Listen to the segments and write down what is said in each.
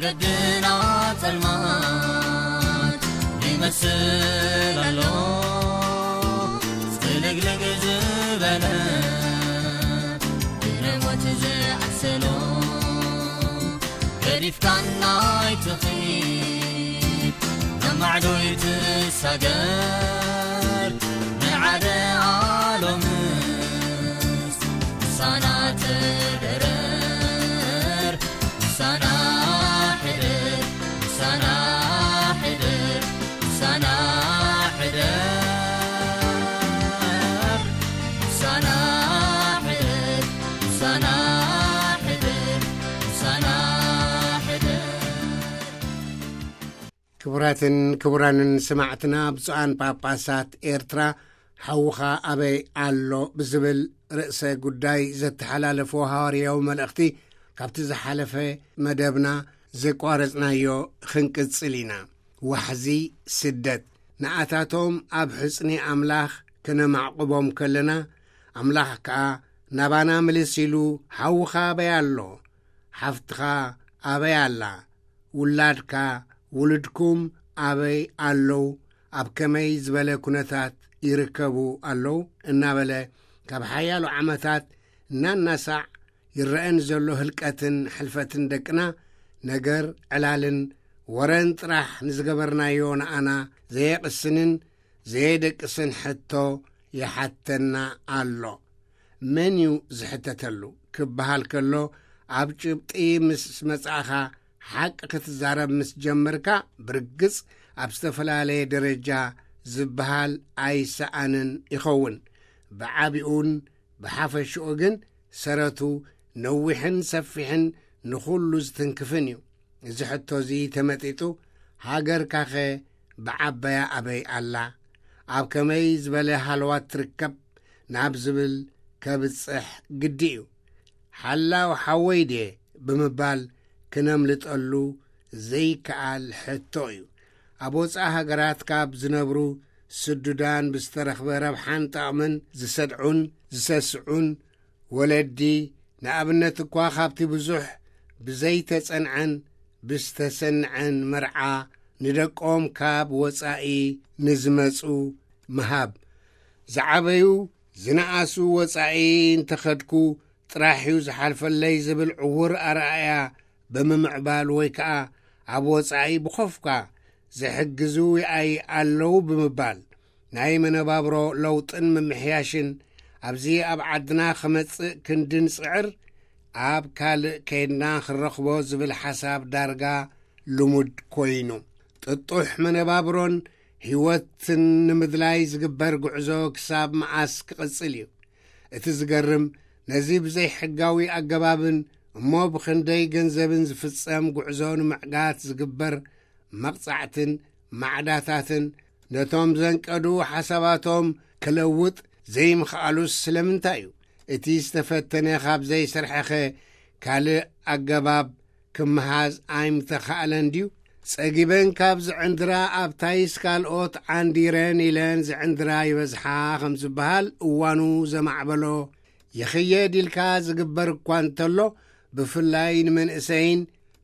ገድና ጸልማት ይመስል ኣሎ፣ ጽልግልግ ዝበለ ብሞት ዝዓሰሎ። ገዲፍካና ኣይትኺድ፣ ናብ ማዕዶ ይትሳገር፣ ንዓደ ኣሎምስ ምሳና ትደረር፣ ምሳና ሕደር፣ ምሳና ሕደር፣ ምሳና ሕደር፣ ምሳና ሕደር፣ ምሳና ሕደር፣ ምሳና ሕደር። ክቡራትን ክቡራንን ሰማዕትና፣ ብፁዓን ጳጳሳት ኤርትራ፣ ሓውኻ ኣበይ ኣሎ ብዝብል ርእሰ ጉዳይ ዘተሓላለፎ ሃዋርያዊ መልእኽቲ፣ ካብቲ ዝሓለፈ መደብና ዘቋረጽናዮ ክንቅጽል ኢና። ዋሕዚ ስደት፣ ንኣታቶም ኣብ ሕጽኒ ኣምላኽ ከነማዕቁቦም ከለና፣ ኣምላኽ ከኣ ናባና ምልስ ኢሉ፣ ሓውኻ ኣበይ ኣሎ? ሓፍትኻ ኣበይ ኣላ? ውላድካ፣ ውሉድኩም ኣበይ ኣለዉ? ኣብ ከመይ ዝበለ ኩነታት ይርከቡ ኣለዉ? እናበለ፣ ካብ ሓያሎ ዓመታት እናናሳዕ ይረአ ንዘሎ ህልቀትን ሕልፈትን ደቅና፣ ነገር ዕላልን ወረን ጥራሕ ንዝገበርናዮ ንኣና ዘየቕስንን ዘየደቅስን ሕቶ ይሓተና ኣሎ። መን እዩ ዝሕተተሉ ክበሃል ከሎ፣ ኣብ ጭብጢ ምስ መጻእኻ፣ ሓቂ ክትዛረብ ምስ ጀመርካ፣ ብርግጽ ኣብ ዝተፈላለየ ደረጃ ዝበሃል ኣይሰኣንን ይኸውን። ብዓቢኡን ብሓፈሽኡ ግን፣ ሰረቱ ነዊሕን ሰፊሕን ንኹሉ ዝትንክፍን እዩ። እዚ ሕቶ እዚ ተመጢጡ፣ ሃገርካኸ ብዓበያ ኣበይ ኣላ? ኣብ ከመይ ዝበለ ሃለዋት ትርከብ? ናብ ዝብል ከብጽሕ ግዲ እዩ። ሓላው ሓወይ ድየ ብምባል ክነምልጠሉ ዘይከኣል ሕቶ እዩ። ኣብ ወጻኢ ሃገራት ካብ ዝነብሩ ስዱዳን ብዝተረኽበ ረብሓን ጠቕምን ዝሰድዑን ዝሰስዑን ወለዲ፣ ንኣብነት እኳ፣ ካብቲ ብዙሕ ብዘይተጸንዐን ብዝተሰንዐን መርዓ ንደቆም ካብ ወጻኢ ንዝመጹ ምሃብ። ዝዓበዩ፣ ዝነኣሱ፣ ወጻኢ እንተኸድኩ ጥራሕ እዩ ዝሓልፈለይ ዝብል ዕዉር ኣረኣእያ ብምምዕባል፣ ወይ ከኣ ኣብ ወጻኢ ብኾፍካ ዝሕግዙ ይኣይ ኣለዉ ብምባል፣ ናይ መነባብሮ ለውጥን ምምሕያሽን ኣብዚ ኣብ ዓድና ክመጽእ ክንዲ ንጽዕር፣ ኣብ ካልእ ከይድና ክንረኽቦ ዝብል ሓሳብ ዳርጋ ልሙድ ኮይኑ፣ ጥጡሕ መነባብሮን ህይወትን ንምድላይ ዝግበር ጉዕዞ ክሳብ መዓስ ክቕጽል እዩ? እቲ ዝገርም፣ ነዚ ብዘይሕጋዊ ኣገባብን እሞ ብኽንደይ ገንዘብን ዝፍጸም ጉዕዞ ንምዕጋት ዝግበር መቕጻዕትን ማዕዳታትን፣ ነቶም ዘንቀዱ ሓሳባቶም ክለውጥ ዘይምኽኣሉስ ስለምንታይ እዩ? እቲ ዝተፈተነ ካብ ዘይሰርሐኸ ካልእ ኣገባብ ክመሃዝ ኣይምተኻእለን ድዩ? ጸጊበን ካብ ዝዕንድራ፣ ኣብታይስ ካልኦት ዓንዲረን ኢለን ዝዕንድራ ይበዝሓ ከም ዝበሃል፣ እዋኑ ዘማዕበሎ ይኽየድ ኢልካ ዝግበር እኳ እንተሎ፣ ብፍላይ ንመንእሰይን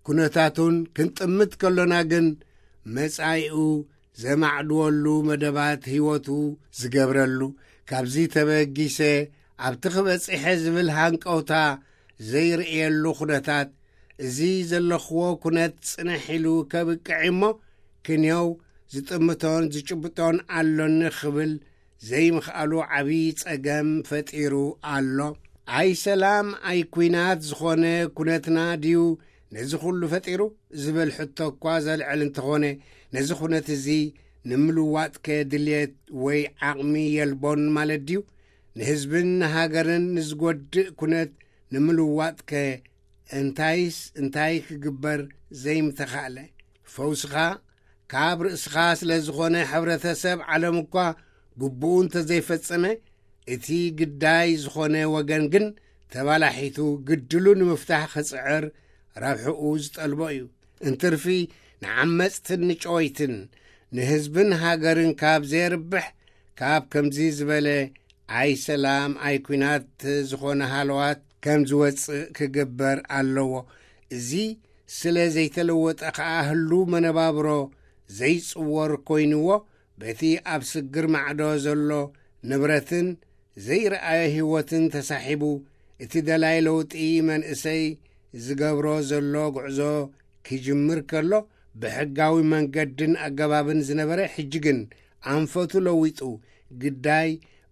ኩነታቱን ክንጥምት ከሎና ግን፣ መጻኢኡ ዘማዕድወሉ መደባት ህይወቱ ዝገብረሉ፣ ካብዚ ተበጊሰ ኣብቲ ክበጽሐ ዝብል ሃንቀውታ ዘይርእየሉ ኩነታት፣ እዚ ዘለኽዎ ኩነት ጽንሕ ኢሉ ከብቅዕ እሞ፣ ክንየው ዝጥምቶን ዝጭብጦን ኣሎኒ ክብል ዘይምኽኣሉ ዓብዪ ጸገም ፈጢሩ ኣሎ። ኣይ ሰላም ኣይ ኲናት ዝኾነ ኩነትና ድዩ ነዚ ኩሉ ፈጢሩ ዝብል ሕቶ እኳ ዘልዕል እንተኾነ፣ ነዚ ኩነት እዚ ንምልዋጥከ ድልየት ወይ ዓቕሚ የልቦን ማለት ድዩ? ንህዝብን ንሃገርን ንዝጎድእ ኩነት ንምልዋጥከ እንታይስ እንታይ ክግበር ዘይምተኻእለ? ፈውስኻ ካብ ርእስኻ ስለ ዝኾነ፣ ሕብረተሰብ ዓለም እኳ ግቡኡ እንተዘይፈጸመ፣ እቲ ግዳይ ዝኾነ ወገን ግን ተባላሒቱ ግድሉ ንምፍታሕ ክጽዕር ረብሕኡ ዝጠልቦ እዩ። እንትርፊ ንዓመጽትን ንጨወይትን ንህዝብን ሃገርን ካብ ዘየርብሕ፣ ካብ ከምዚ ዝበለ ኣይ ሰላም ኣይ ኲናት ዝኾነ ሃለዋት ከም ዝወጽእ ክግበር ኣለዎ። እዚ ስለ ዘይተለወጠ ከኣ ህሉ መነባብሮ ዘይጽወር ኮይንዎ፣ በቲ ኣብ ስግር ማዕዶ ዘሎ ንብረትን ዘይረኣየ ህይወትን ተሳሒቡ፣ እቲ ደላይ ለውጢ መንእሰይ ዝገብሮ ዘሎ ጉዕዞ ክጅምር ከሎ፣ ብሕጋዊ መንገድን ኣገባብን ዝነበረ፣ ሕጂ ግን ኣንፈቱ ለዊጡ፣ ግዳይ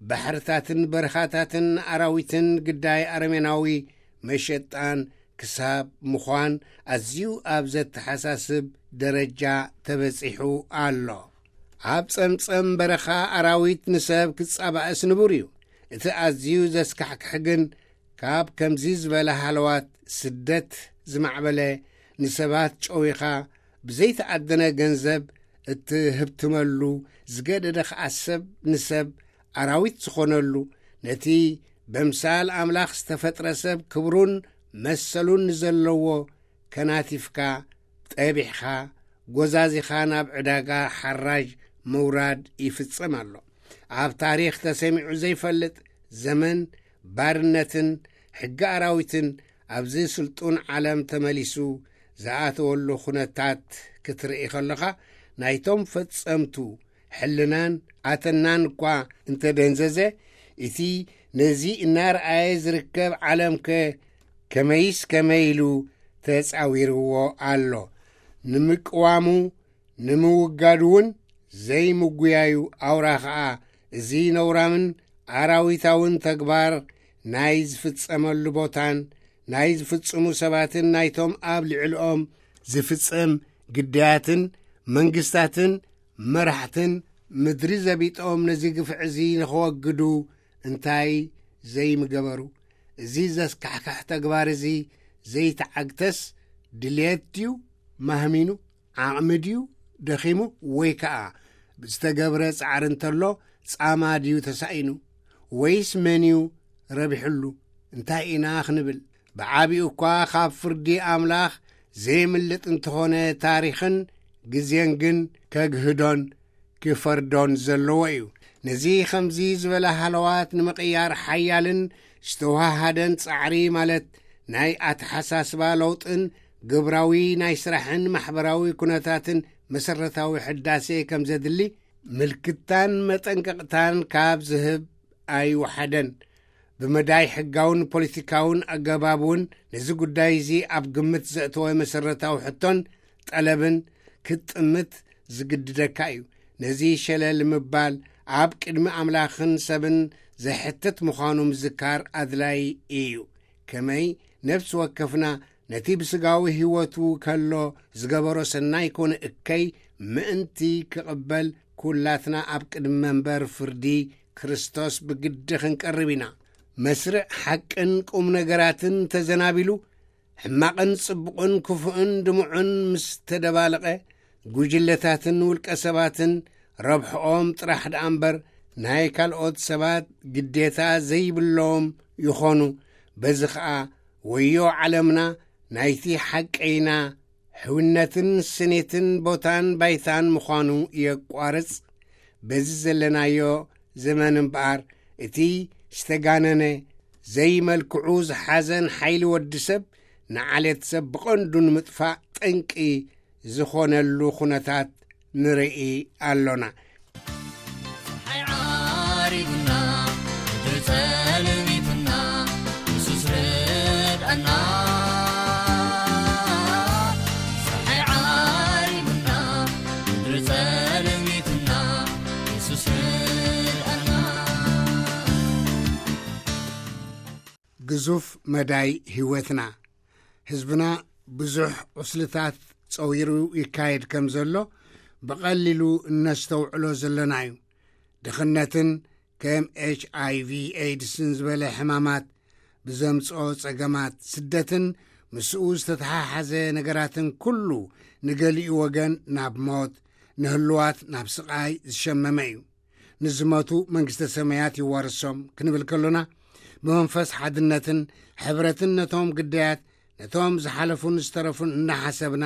ባሕርታትን በረኻታትን ኣራዊትን ግዳይ ኣረሜናዊ መሸጣን ክሳብ ምዃን ኣዝዩ ኣብ ዘተሓሳስብ ደረጃ ተበጺሑ ኣሎ። ኣብ ጸምጸም በረኻ ኣራዊት ንሰብ ክጻባእስ ንቡር እዩ። እቲ ኣዝዩ ዘስካሕክሕ ግን፣ ካብ ከምዚ ዝበለ ሃለዋት ስደት ዝማዕበለ፣ ንሰባት ጨዊኻ ብዘይተኣደነ ገንዘብ እትህብትመሉ፣ ዝገደደ ኸኣ ሰብ ንሰብ ኣራዊት ዝኾነሉ፣ ነቲ በምሳል ኣምላኽ ዝተፈጥረ ሰብ ክብሩን መሰሉን ንዘለዎ ከናቲፍካ፣ ጠቢሕኻ፣ ጎዛዚኻ ናብ ዕዳጋ ሓራጅ ምውራድ ይፍጸም ኣሎ። ኣብ ታሪኽ ተሰሚዑ ዘይፈልጥ ዘመን ባርነትን ሕጊ ኣራዊትን ኣብዚ ስልጡን ዓለም ተመሊሱ ዝኣተወሉ ኩነታት ክትርኢ ከለኻ፣ ናይቶም ፈጸምቱ ሕልናን ኣተናን እኳ እንተደንዘዘ፣ እቲ ነዚ እናረኣየ ዝርከብ ዓለምከ ከመይስ ከመይ ኢሉ ተጻዊርዎ ኣሎ? ንምቅዋሙ፣ ንምውጋዱ እውን ዘይምጉያዩ ኣውራ ኸኣ፣ እዚ ነውራምን ኣራዊታውን ተግባር ናይ ዝፍጸመሉ ቦታን ናይ ዝፍጽሙ ሰባትን ናይቶም ኣብ ልዕሊኦም ዝፍጸም ግዳያትን መንግስታትን መራሕትን ምድሪ ዘቢጦም ነዚ ግፍዒ እዚ ንኸወግዱ እንታይ ዘይምገበሩ? እዚ ዘስካሕክሕ ተግባር እዚ ዘይተዓግተስ ድልየት ድዩ ማህሚኑ? ዓቕሚ ድዩ ደኺሙ? ወይ ከኣ ብዝተገብረ ጻዕሪ እንተሎ ጻማ ድዩ ተሳኢኑ? ወይስ መን እዩ ረቢሕሉ? እንታይ ኢና ክንብል? ብዓቢኡ እኳ ካብ ፍርዲ ኣምላኽ ዘይምልጥ እንተኾነ፣ ታሪኽን ግዜን ግን ከግህዶን ክፈርዶን ዘለዎ እዩ። ነዚ ከምዚ ዝበለ ሃለዋት ንምቕያር ሓያልን ዝተዋሃደን ጻዕሪ፣ ማለት ናይ ኣተሓሳስባ ለውጥን ግብራዊ ናይ ስራሕን ማሕበራዊ ኩነታትን መሰረታዊ ሕዳሴ ከም ዘድሊ ምልክታን መጠንቀቕታን ካብ ዝህብ ኣይወሓደን። ብመዳይ ሕጋውን ፖለቲካውን ኣገባብ እውን ነዚ ጉዳይ እዚ ኣብ ግምት ዘእተወ መሰረታዊ ሕቶን ጠለብን ክትጥምት ዝግድደካ እዩ። ነዚ ሸለል ምባል ኣብ ቅድሚ ኣምላኽን ሰብን ዘሕትት ምዃኑ ምዝካር ኣድላይ እዩ። ከመይ ነፍሲ ወከፍና ነቲ ብስጋዊ ህይወቱ ከሎ ዝገበሮ ሰናይ ኮነ እከይ ምእንቲ ክቕበል፣ ኩላትና ኣብ ቅድሚ መንበር ፍርዲ ክርስቶስ ብግዲ ክንቀርብ ኢና። መስርዕ ሓቅን ቁም ነገራትን ተዘናቢሉ፣ ሕማቕን ጽቡቕን ክፉእን ድሙዕን ምስ ተደባለቐ፣ ጉጅለታትን ውልቀ ሰባትን ረብሕኦም ጥራሕ ደኣ እምበር ናይ ካልኦት ሰባት ግዴታ ዘይብሎም ይኾኑ። በዚ ኸኣ ወዮ ዓለምና ናይቲ ሓቀይና ሕውነትን ስኒትን ቦታን ባይታን ምዃኑ የቋርጽ። በዚ ዘለናዮ ዘመን እምበኣር፣ እቲ ዝተጋነነ ዘይመልክዑ ዝሓዘን ሓይሊ ወዲ ሰብ ንዓሌት ሰብ ብቐንዱ ንምጥፋእ ጠንቂ ዝኾነሉ ኩነታት ንርኢ ኣሎና። ፀሓይ ዓሪቡና፣ ምድሪ ጸልሚቱና፣ የሱስ ርድኣና። ፀሓይ ዓሪቡና፣ ምድሪ ጸልሚቱና፣ የሱስ ርድኣና። ግዙፍ መዳይ ህይወትና። ህዝብና ብዙሕ ቁስልታት ጸዊሩ ይካየድ ከም ዘሎ ብቐሊሉ እነስተውዕሎ ዘለና እዩ። ድኽነትን ከም ኤች ኣይ ቪ ኤድስን ዝበለ ሕማማት ብዘምጽኦ ጸገማት፣ ስደትን ምስኡ ዝተተሓሓዘ ነገራትን ኩሉ ንገሊኡ ወገን ናብ ሞት፣ ንህልዋት ናብ ስቓይ ዝሸመመ እዩ። ንዝመቱ መንግስተ ሰማያት ይዋርሶም ክንብል ከሎና፣ ብመንፈስ ሓድነትን ሕብረትን ነቶም ግዳያት፣ ነቶም ዝሓለፉን ዝተረፉን እናሓሰብና፣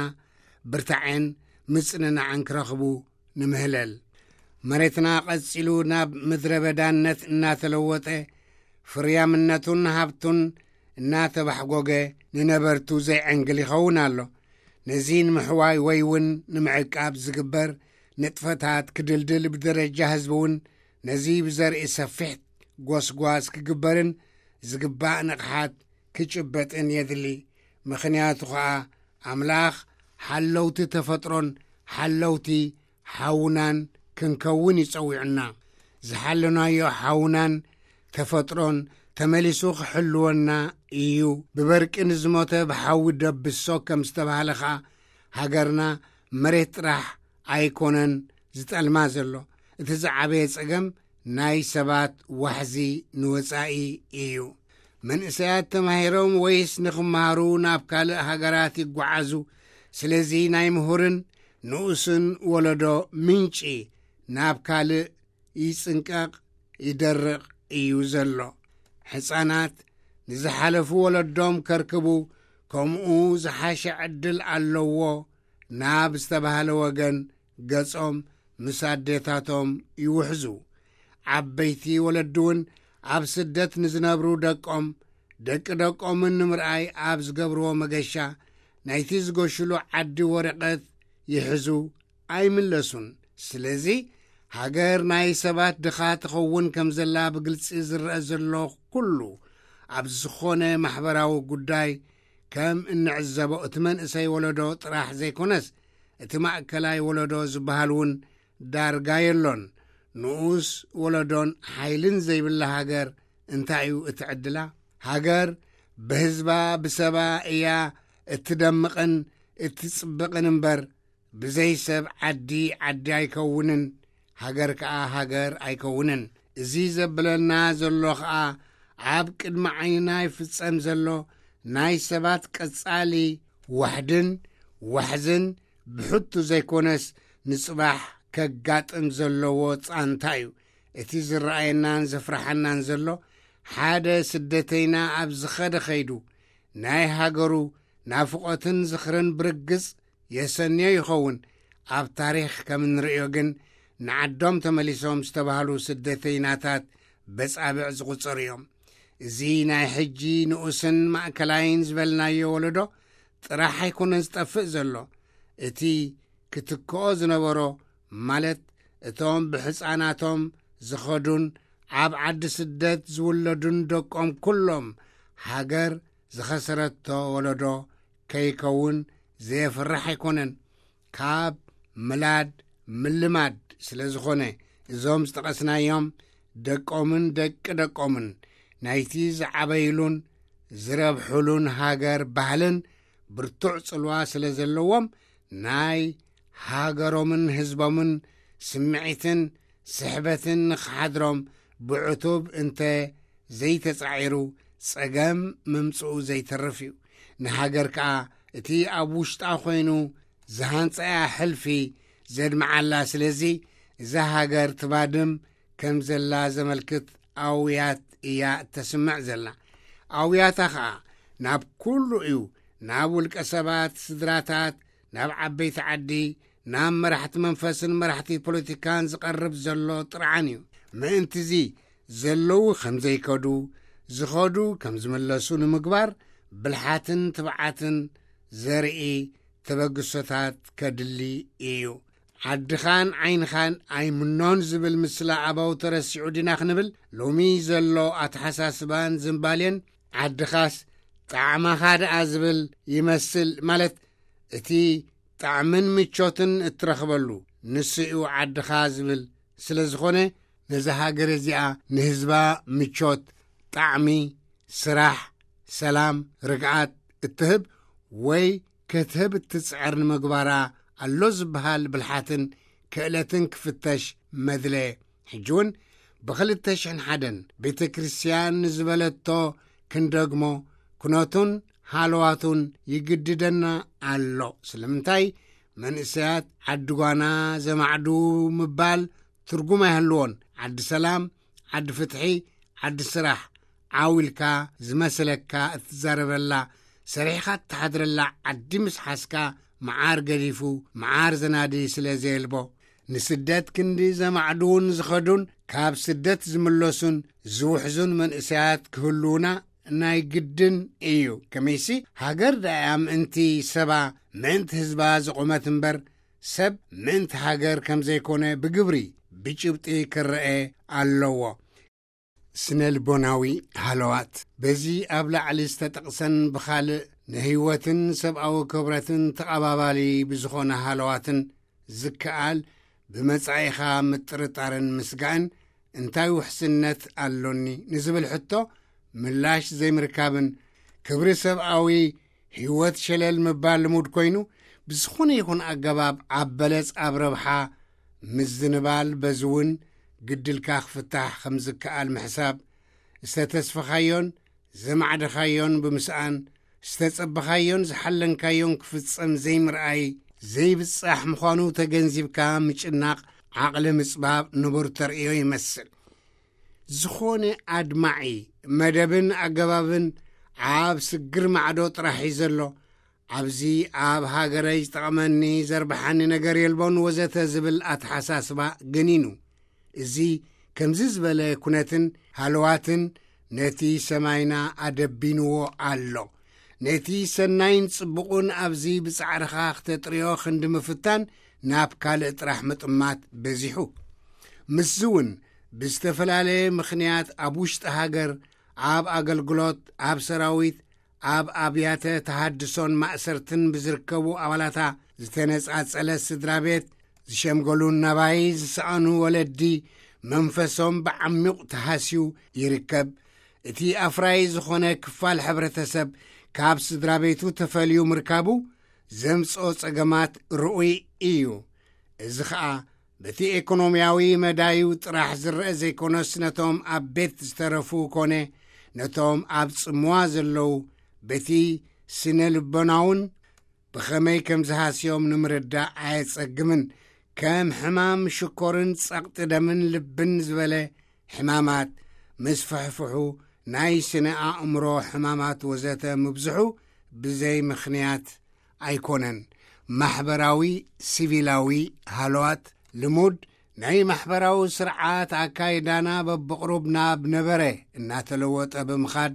ብርታዔን ምጽንናዕን ክረኽቡ ንምህለል። መሬትና ቀጺሉ ናብ ምድረ በዳነት እናተለወጠ፣ ፍርያምነቱን ሃብቱን እናተባሕጎገ፣ ንነበርቱ ዘይዕንግል ይኸውን ኣሎ። ነዚ ንምሕዋይ ወይ እውን ንምዕቃብ ዝግበር ንጥፈታት ክድልድል፣ ብደረጃ ህዝቢ እውን ነዚ ብዘርኢ ሰፊሕ ጎስጓስ ክግበርን ዝግባእ ንቕሓት ክጭበጥን የድሊ። ምኽንያቱ ኸኣ ኣምላኽ ሓለውቲ ተፈጥሮን ሓለውቲ ሓውናን ክንከውን ይጸዊዑና። ዝሓለናዮ ሓውናን ተፈጥሮን ተመሊሱ ክሕልወና እዩ። ብበርቂ ንዝሞተ ብሓዊ ደብሶ ከም ዝተባህለ ኸኣ፣ ሃገርና መሬት ጥራሕ ኣይኮነን ዝጠልማ ዘሎ። እቲ ዝዓበየ ጸገም ናይ ሰባት ዋሕዚ ንወጻኢ እዩ። መንእሰያት ተማሂሮም ወይስ ንኽመሃሩ ናብ ካልእ ሃገራት ይጓዓዙ። ስለዚ ናይ ምሁርን ንኡስን ወለዶ ምንጪ ናብ ካልእ ይጽንቀቕ፣ ይደርቕ እዩ ዘሎ። ሕጻናት ንዝሓለፉ ወለዶም ከርክቡ ከምኡ ዝሓሸ ዕድል ኣለዎ ናብ ዝተባህለ ወገን ገጾም ምስ ኣዴታቶም ይውሕዙ። ዓበይቲ ወለዲ እውን ኣብ ስደት ንዝነብሩ ደቆም፣ ደቂ ደቆምን ንምርኣይ ኣብ ዝገብርዎ መገሻ፣ ናይቲ ዝገሽሉ ዓዲ ወረቐት ይሕዙ፣ ኣይምለሱን። ስለዚ ሃገር ናይ ሰባት ድኻ ትኸውን ከም ዘላ ብግልጺ ዝረአ ዘሎ ኩሉ፣ ኣብ ዝኾነ ማሕበራዊ ጉዳይ ከም እንዕዘቦ፣ እቲ መንእሰይ ወለዶ ጥራሕ ዘይኮነስ፣ እቲ ማእከላይ ወለዶ ዝበሃል እውን ዳርጋ የሎን። ንኡስ ወለዶን ሓይልን ዘይብላ ሃገር እንታይ እዩ እቲ ዕድላ? ሃገር ብህዝባ ብሰባ እያ እትደምቕን እትጽብቕን እምበር፣ ብዘይ ሰብ ዓዲ፣ ዓዲ ኣይከውንን፣ ሃገር ከኣ ሃገር ኣይከውንን። እዚ ዘብለና ዘሎ ኸኣ ኣብ ቅድሚ ዓይንና ይፍጸም ዘሎ ናይ ሰባት ቀጻሊ ዋሕድን ዋሕዝን ብሕቱ ዘይኮነስ ንጽባሕ ከጋጥም ዘለዎ ጻንታ እዩ። እቲ ዝረኣየናን ዘፍርሓናን ዘሎ ሓደ ስደተይና ኣብ ዝኸደ ኸይዱ ናይ ሃገሩ ናፍቖትን ዝኽርን ብርግጽ የሰንዮ ይኸውን። ኣብ ታሪኽ ከም እንርእዮ ግን ንዓዶም ተመሊሶም ዝተባህሉ ስደተይናታት በጻብዕ ዝቑጸሩ እዮም። እዚ ናይ ሕጂ ንኡስን ማእከላይን ዝበልናዮ ወለዶ ጥራሕ ኣይኮነን ዝጠፍእ ዘሎ። እቲ ክትክኦ ዝነበሮ፣ ማለት እቶም ብሕፃናቶም ዝኸዱን ኣብ ዓዲ ስደት ዝውለዱን ደቆም ኩሎም፣ ሃገር ዝኸሰረቶ ወለዶ ከይከውን ዘየፍርሕ ኣይኮነን። ካብ ምላድ ምልማድ ስለ ዝኾነ፣ እዞም ዝጠቐስናዮም ደቆምን ደቂ ደቆምን ናይቲ ዝዓበይሉን ዝረብሑሉን ሃገር ባህልን ብርቱዕ ጽልዋ ስለ ዘለዎም፣ ናይ ሃገሮምን ህዝቦምን ስምዒትን ስሕበትን ንኽሓድሮም ብዕቱብ እንተ ዘይተጻዒሩ፣ ጸገም ምምጽኡ ዘይተርፍ እዩ። ንሃገር ከኣ እቲ ኣብ ውሽጣ ኮይኑ ዝሃንጸያ ሕልፊ ዘድምዓላ። ስለዚ እዛ ሃገር ትባድም ከም ዘላ ዘመልክት ኣውያት እያ እተስምዕ ዘላ። ኣውያታ ኸኣ ናብ ኩሉ እዩ፣ ናብ ውልቀ ሰባት፣ ስድራታት፣ ናብ ዓበይቲ ዓዲ፣ ናብ መራሕቲ መንፈስን መራሕቲ ፖለቲካን ዝቐርብ ዘሎ ጥርዓን እዩ። ምእንትዚ ዘለዉ ከም ዘይከዱ፣ ዝኸዱ ከም ዝምለሱ ንምግባር ብልሓትን ትብዓትን ዘርኢ ተበግሶታት ከድሊ እዩ። ዓድኻን ዓይንኻን ኣይምኖን ዝብል ምስላ ኣበው ተረሲዑ ዲና ክንብል፣ ሎሚ ዘሎ ኣተሓሳስባን ዝንባሌን ዓድኻስ ጣዕማኻ ደኣ ዝብል ይመስል። ማለት እቲ ጣዕምን ምቾትን እትረኽበሉ ንሱ እዩ ዓድኻ ዝብል ስለ ዝኾነ፣ ነዛ ሃገር እዚኣ ንህዝባ ምቾት፣ ጣዕሚ፣ ስራሕ፣ ሰላም፣ ርግኣት እትህብ ወይ ክትህብ እትጽዕር ንምግባራ ኣሎ ዝበሃል ብልሓትን ክእለትን ክፍተሽ መድለ። ሕጂ እውን ብኽልተ ሽሕን ሓደን ቤተ ክርስቲያን ንዝበለቶ ክንደግሞ፣ ኩነቱን ሃለዋቱን ይግድደና ኣሎ። ስለምንታይ? መንእሰያት ዓዲ ጓና ዘማዕዱ ምባል ትርጉም ኣይህልዎን። ዓዲ ሰላም፣ ዓዲ ፍትሒ፣ ዓዲ ስራሕ፣ ዓው ኢልካ ዝመሰለካ እትዛረበላ፣ ሰሪሕኻ እትሓድረላ ዓዲ ምስ ሓዝካ፣ መዓር ገዲፉ መዓር ዘናዲ ስለ ዘየልቦ፣ ንስደት ክንዲ ዘማዕድዉን ዝኸዱን፣ ካብ ስደት ዝምለሱን ዝውሕዙን መንእሰያት ክህልዉና ናይ ግድን እዩ። ከመይሲ፣ ሃገር ደኣ ምእንቲ ሰባ፣ ምእንቲ ህዝባ ዝቖመት እምበር፣ ሰብ ምእንቲ ሃገር ከም ዘይኮነ ብግብሪ፣ ብጭብጢ ክረአ ኣለዎ። ስነ ልቦናዊ ሃለዋት። በዚ ኣብ ላዕሊ ዝተጠቕሰን ብኻልእ ንህይወትን ሰብኣዊ ክብረትን ተቓባባሊ ብዝኾነ ሃለዋትን ዝከኣል፣ ብመጻኢኻ ምጥርጣርን ምስጋእን፣ እንታይ ውሕስነት ኣሎኒ ንዝብል ሕቶ ምላሽ ዘይምርካብን፣ ክብሪ ሰብኣዊ ህይወት ሸለል ምባል ልሙድ ኮይኑ፣ ብዝኾነ ይኹን ኣገባብ ኣብ በለጽ ኣብ ረብሓ ምዝንባል፣ በዚ እውን ግድልካ ክፍታሕ ከም ዝከኣል ምሕሳብ፣ ዝተተስፈኻዮን ዘማዕደኻዮን ብምስኣን፣ ዝተጸበኻዮን ዝሓለንካዮን ክፍጸም ዘይምርኣይ፣ ዘይብጻሕ ምዃኑ ተገንዚብካ ምጭናቕ፣ ዓቕሊ ምጽባብ ንቡር ተርእዮ ይመስል። ዝኾነ ኣድማዒ መደብን ኣገባብን ኣብ ስግር ማዕዶ ጥራሕ እዩ ዘሎ። ኣብዚ ኣብ ሃገረይ ዝጠቕመኒ፣ ዘርብሓኒ ነገር የልቦን ወዘተ ዝብል ኣተሓሳስባ ገኒኑ። እዚ ከምዚ ዝበለ ኩነትን ሃለዋትን ነቲ ሰማይና ኣደቢንዎ ኣሎ። ነቲ ሰናይን ጽቡቕን ኣብዚ ብጻዕርኻ ክተጥርዮ ክንዲ ምፍታን ናብ ካልእ ጥራሕ ምጥማት በዚሑ። ምስዚ እውን ብዝተፈላለየ ምኽንያት ኣብ ውሽጢ ሃገር፣ ኣብ ኣገልግሎት፣ ኣብ ሰራዊት፣ ኣብ ኣብያተ ተሃድሶን ማእሰርትን ብዝርከቡ ኣባላታ ዝተነጻጸለ ስድራ ቤት፣ ዝሸምገሉን ናባይ ዝሰኣኑ ወለዲ መንፈሶም ብዓሚቕ ተሃስዩ ይርከብ። እቲ ኣፍራዪ ዝኾነ ክፋል ሕብረተሰብ ካብ ስድራ ቤቱ ተፈልዩ ምርካቡ ዘምጽኦ ጸገማት ርኡይ እዩ። እዚ ኸኣ በቲ ኤኮኖምያዊ መዳዩ ጥራሕ ዝረአ ዘይኮነስ፣ ነቶም ኣብ ቤት ዝተረፉ ኮነ ነቶም ኣብ ጽምዋ ዘለዉ፣ በቲ ስነ ልቦናውን ብኸመይ ከም ዝሃስዮም ንምርዳእ ኣየጸግምን። ከም ሕማም ሽኮርን ጸቕጢ ደምን ልብን ዝበለ ሕማማት፣ ምስፍሕፍሑ፣ ናይ ስነ ኣእምሮ ሕማማት ወዘተ ምብዝሑ ብዘይ ምኽንያት ኣይኮነን። ማሕበራዊ ሲቪላዊ ሃለዋት፣ ልሙድ ናይ ማሕበራዊ ስርዓት ኣካይዳና በብቕሩብ ናብ ነበረ እናተለወጠ ብምኻድ፣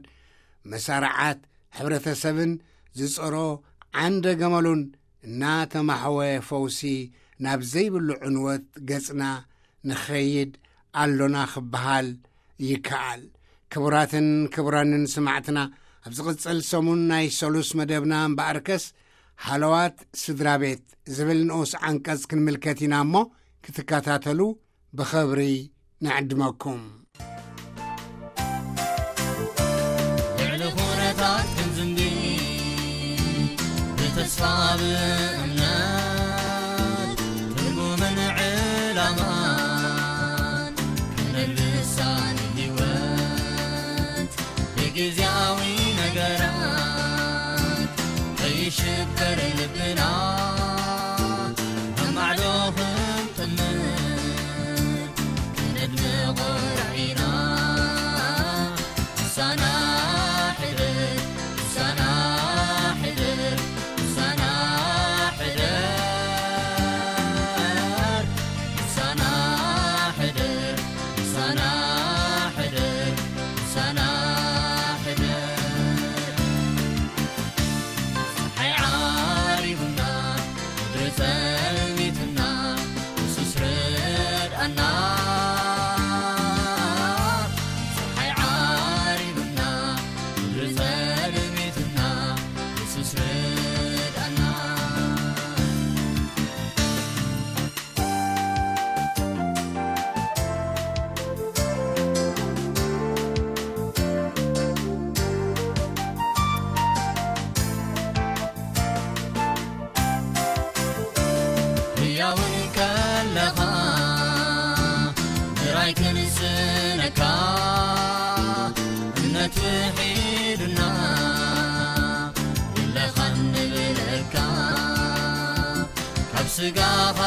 መሳርዓት ሕብረተሰብን ዝጸሮ ዓንደ ገመሉን እናተማሕወ፣ ፈውሲ ናብ ዘይብሉ ዕንወት ገጽና ንኸይድ ኣሎና ክበሃል ይከኣል። ክቡራትን ክቡራንን ስማዕትና፣ ኣብ ዝቕጽል ሰሙን ናይ ሰሉስ መደብና እምበኣርከስ፣ ሃለዋት ስድራ ቤት ዝብል ንኡስ ዓንቀጽ ክንምልከት ኢና እሞ፣ ክትከታተሉ ብኸብሪ ንዕድመኩም። ልዕሊ ኩነታት ክንዝንቢ፣ ብተስፋ ብእምነት፣ ትርጉምን ዕላማን፣ ከነልብሳ ንህይወት ብግዝያዊ ነገራት፣ ከይሽበር ልብና፣ ኣብ ማዕዶ ክንጥምር፣ ከነድምቖ ራዕይና፣ ምሳና ሕደር፣ ምሳና ሕደር፣ ምሳና ሕደር፣ ምሳና ሕደር፣ ምሳና ሕደር፣ ምሳና ሕደር። ጸሓይ ዓሪቡና፣ ምድሪ ጸልሚትና፣ የሱስ ርድኣና። ጸሓይ ዓሪቡና፣ ምድሪ ጸልሚትና፣ የሱስ ርድኣና። ህያውን ከለኻ ምራይ ክንስነካ፣ እምነት ውሒዱና፣ የለኻን ንብለካ፣ ካብ ስጋኻ